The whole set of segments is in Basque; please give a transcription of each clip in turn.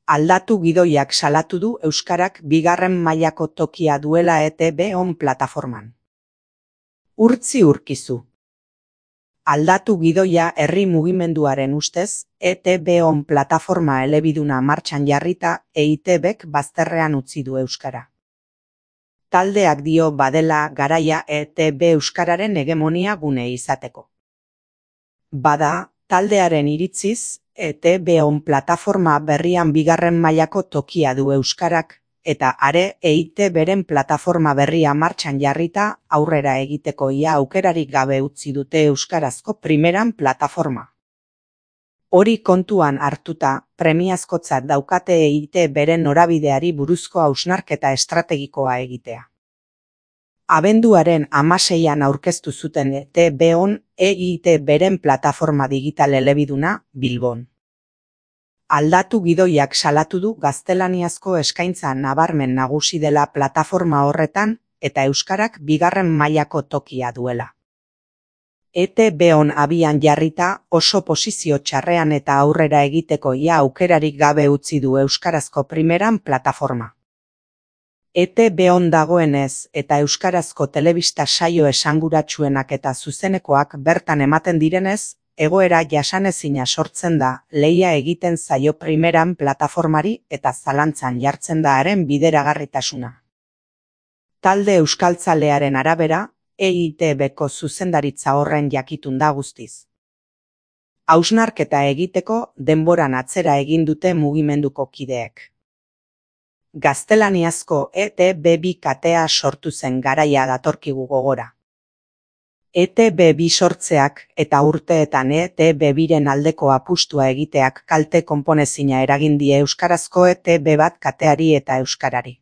Aldatu gidoiak salatu du euskarak bigarren mailako tokia duela ETB-on plataforman. Urtzi urkizu. Aldatu gidoia herri mugimenduaren ustez, ETB-on plataforma elebiduna martxan jarrita EITBek bazterrean utzi du euskara. Taldeak dio badela garaia ETB euskararen hegemonia gune izateko. Bada, taldearen iritziz, ETB-on plataforma berrian bigarren mailako tokia du euskarak, eta are EITBren plataforma berria martxan jarrita aurrera egiteko ia aukerarik gabe utzi dute euskarazko primeran plataforma. Hori kontuan hartuta, premiazkotzat daukate EITBren norabideari buruzko hausnarketa estrategikoa egitea. Abenduaren 16an aurkeztu zuten ETB-on EITBren plataforma digital elebiduna Bilbon. Aldatu gidoiak salatu du gaztelaniazko eskaintza nabarmen nagusi dela plataforma horretan eta euskarak bigarren mailako tokia duela. ETB-on abian jarrita oso posizio txarrean eta aurrera egiteko ia aukerarik gabe utzi du euskarazko primeran plataforma. ETB-on dagoenez eta euskarazko telebista saio esanguratsuenak eta zuzenekoak bertan ematen direnez, egoera jasanezina sortzen da lehia egiten zaio primeran plataformari eta zalantzan jartzen da haren bideragarritasuna. Talde euskaltzalearen arabera, EITBko zuzendaritza horren jakitun da guztiz. Hausnarketa egiteko denboran atzera egin dute mugimenduko kideek. Gaztelaniazko ETB2 katea sortu zen garaia datorkigu gogora. ETB2 sortzeak eta urteetan ETB2ren aldeko apustua egiteak kalte konponezina eragin die euskarazko ETB1 kateari eta euskarari.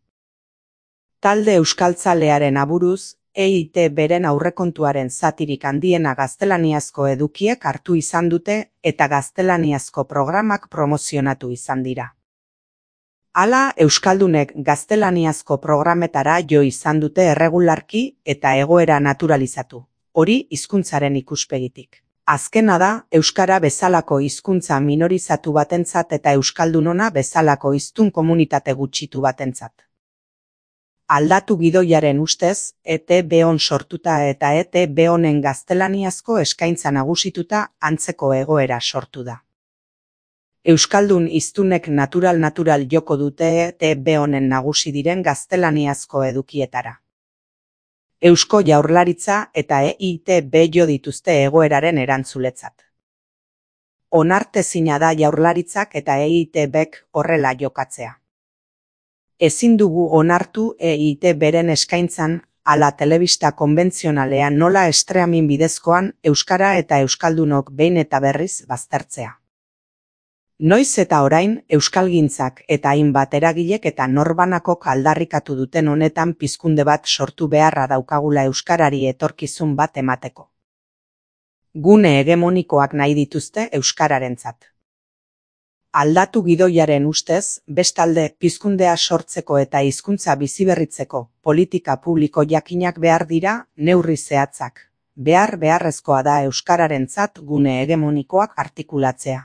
Talde euskaltzalearen aburuz, EITBren aurrekontuaren zatirik handiena gaztelaniazko edukiek hartu izan dute eta gaztelaniazko programak promozionatu izan dira. Hala, euskaldunek gaztelaniazko programetara jo izan dute erregularki eta egoera naturalizatu, hori hizkuntzaren ikuspegitik. Azkena da, euskara bezalako hizkuntza minorizatu batentzat eta euskaldunona bezalako hiztun komunitate gutxitu batentzat. Aldatu gidoiaren ustez, ETB-on sortuta eta ETB-onen gaztelaniazko eskaintza nagusituta antzeko egoera sortu da. Euskaldun hiztunek natural joko dute ETB-onen nagusi diren gaztelaniazko edukietara. Eusko Jaurlaritza eta EITB jo dituzte egoeraren erantzuletzat. Onartezina da Jaurlaritzak eta EITBek horrela jokatzea. Ezin dugu onartu EITBren eskaintzan ala telebista konbentzionalean nola streaming bidezkoan euskara eta euskaldunok behin eta berriz baztertzea. Noiz eta orain, euskalgintzak eta hainbat eragilek eta norbanakok aldarrikatu duten honetan pizkunde bat sortu beharra daukagula euskarari etorkizun bat emateko. Gune hegemonikoak nahi dituzte euskararentzat. Aldatu gidoiaren ustez, bestalde pizkundea sortzeko eta hizkuntza biziberritzeko politika publiko jakinak behar dira neurri zehatzak. Beharrezkoa da euskararentzat gune hegemonikoak artikulatzea.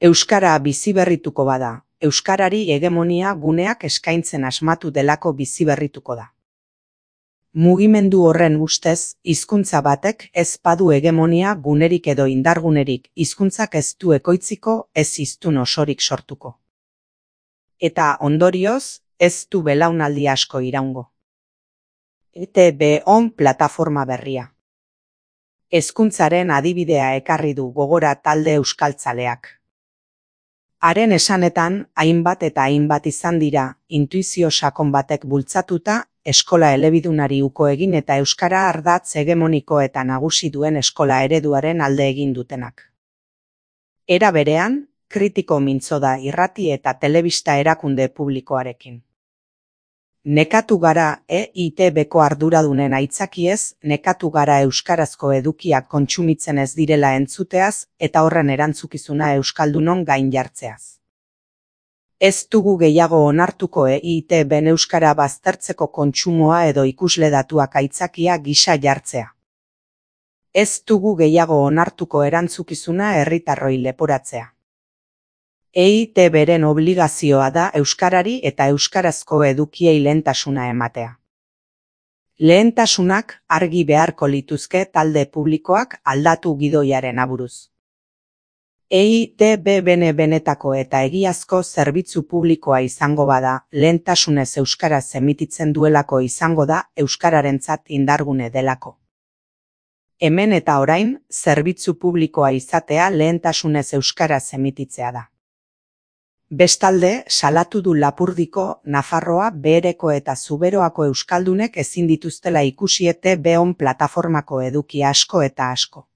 Euskara biziberrituko bada, euskarari hegemonia guneak eskaintzen asmatu delako biziberrituko da. Mugimendu horren ustez, hizkuntza batek ez badu hegemonia gunerik edo indargunerik, hizkuntzak ez du ekoitziko, ez hiztun osorik sortuko. Eta ondorioz, ez du belaunaldi asko iraungo. ETB-on plataforma berria. Hezkuntzaren adibidea ekarri du gogora talde euskaltzaleak. Haren esanetan, hainbat eta hainbat izan dira, intuizio sakon batek bultzatuta, eskola elebidunari uko egin eta euskara ardatz hegemoniko eta nagusi duen eskola ereduaren alde egin dutenak. Era berean, kritiko mintzo da irrati eta telebista erakunde publikoarekin. Nekatu gara EITBko arduradunen aitzakiez, nekatu gara euskarazko edukiak kontsumitzen ez direla entzuteaz eta horren erantzukizuna euskaldunon gain jartzeaz. Ez dugu gehiago onartuko EITBn euskara baztertzeko kontsumoa edo ikusle datuak aitzakia gisa jartzea. Ez dugu gehiago onartuko erantzukizuna herritarroi leporatzea. EITB-ren obligazioa da euskarari eta euskarazko edukiei lehentasuna ematea. Lehentasunak argi beharko lituzke talde publikoak aldatu gidoiaren aburuz. EITB benetako eta egiazko zerbitzu publikoa izango bada, lehentasunez euskaraz emititzen duelako izango da euskararentzat indargune delako. Hemen eta orain, zerbitzu publikoa izatea lehentasunez euskaraz emititzea da. Bestalde, salatu du Lapurdiko, Nafarroa, Behereko eta Zuberoako euskaldunek ezin dituztela ikusi ETB plataformako eduki asko eta asko.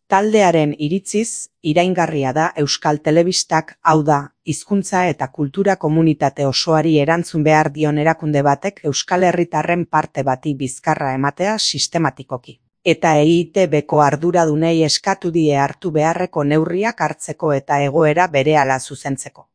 Taldearen iritziz, iraingarria da Euskal Telebistak, hau da, hizkuntza eta kultura komunitate osoari erantzun behar dion erakunde batek Euskal Herritarren parte bati bizkarra ematea sistematikoki. Eta EITB-ko arduradunei eskatu die hartu beharreko neurriak hartzeko eta egoera berehala zuzentzeko.